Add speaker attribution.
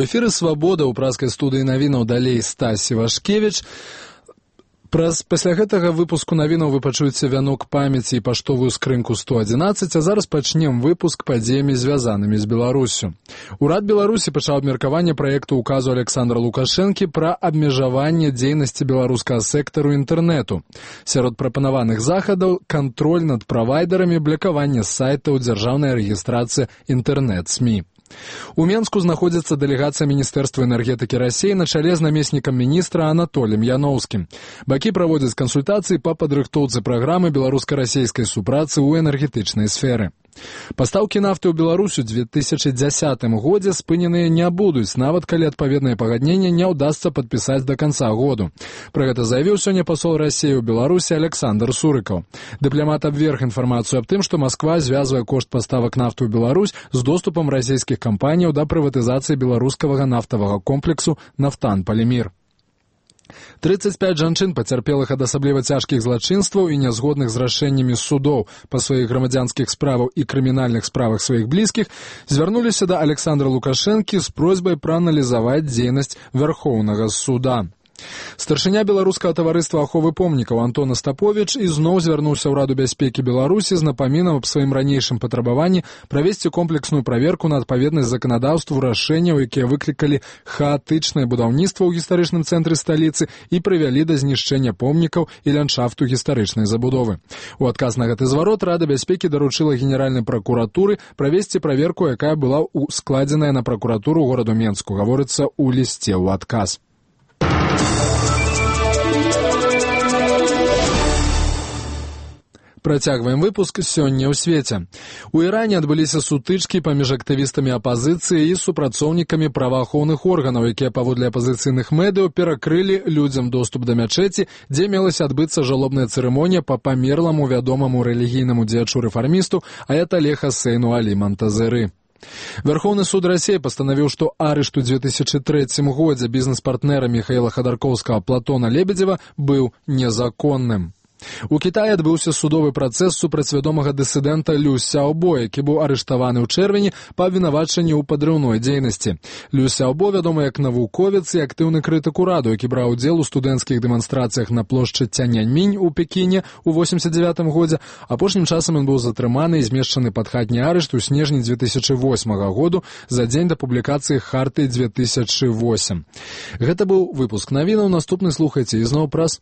Speaker 1: У эфіры «Свабода» ў праскай студыі навінаў далей Стасі Вашкевіч. Пасля гэтага выпуску навінаў вы пачуеце вянок памяці і паштовую скрынку 111, а зараз пачнем выпуск падзеямі, звязанымі з Беларусю. Урад Беларусі пачаў абмеркаванне праекту указу Александра Лукашэнкі пра абмежаванне дзейнасці беларускага сектару інтэрнэту. Сярод прапанаваных захадаў кантроль над правайдарамі, блакаванне сайтаў, дзяржаўная рэгістрацыя інтэрнэт-СМІ. У Менску знаходзіцца дэлегацыя Міністэрства энергетыкі Расіі на чале з намеснікам міністра Анатоліем Яноўскім. Бакі праводзяць кансультацыі па падрыхтоўцы праграмы беларуска-расейскай супрацы ў энергетычнай сферы. Пастаўкі нафты ў Беларусь у 2010 годзе спыненыя не будуць, нават калі адпаведнае пагадненне не ўдасца падпісаць да канца году. Пра гэта заявіў сёння пасол Расіі ў Беларусі Александр Сурыкаў. Дыпламат абверг інфармацыю аб тым, што Масква звязвае кошт паставак нафты ў Беларусь з доступам расійскіх кампаніяў да прыватызацыі беларускага нафтавага комплексу «Нафтан-Палімір». 35 жанчын, пацярпелых ад асабліва цяжкіх злачынстваў і нязгодных з рашэннямі судоў па сваіх грамадзянскіх справах і крымінальных справах сваіх блізкіх, звярнуліся да Александра Лукашэнкі з просьбай прааналізаваць дзейнасць Вярхоўнага суда. Старшыня беларускага таварыства аховы помнікаў Антон Астаповіч ізноў звярнуўся ў Раду бяспекі Беларусі з напамінам аб сваім ранейшым патрабаванні правесці комплексную праверку на адпаведнасць заканадаўству рашэнняў, якія выклікалі хаатычнае будаўніцтва ў гістарычным цэнтры сталіцы і прывялі да знішчэння помнікаў і ландшафту гістарычнай забудовы. У адказ на гэты зварот Рада бяспекі даручыла генеральнай пракуратуры правесці праверку, якая была складзеная на пракуратуру гораду Менску, гаворыцца ў лісце ў адказ. Працягваем выпуск сёння ў свеце. У Іране адбыліся сутычкі паміж актывістамі апазіцыі і супрацоўнікамі праваахоўных органаў, якія паводле апазіцыйных медыяў перакрылі людзям доступ да мячэці, дзе мелася адбыцца жалобная цырымонія па памерламу вядомаму рэлігійнаму дзеячу-рэфармісту аятале Хасейну Алі Монтазеры. Верховный суд России постановил, что арышт у 2003 годзе бизнес-партнера Михаила Ходорковского Платона Лебедева был незаконным. У Китаі адбыўся судовы працэс супраць вядомага дысідэнта Лю Сяобо, які быў арыштаваны ў чэрвені па абвінавачанні ў падрыўной дзейнасці. Лю Сяобо вядомы як навуковец і актыўны крытык ураду, які браў удзел у студэнцкіх дэманстрацыях на плошчы Цяньаньмінь у Пекіне ў 89 годзе. Апошнім часам ён быў затрыманы і змешчаны пад хатні арышт у снежні 2008 году за дзень да публікацыі Харты 2008. Гэта быў выпуск навінаў. Наступны слухайце ізноў праз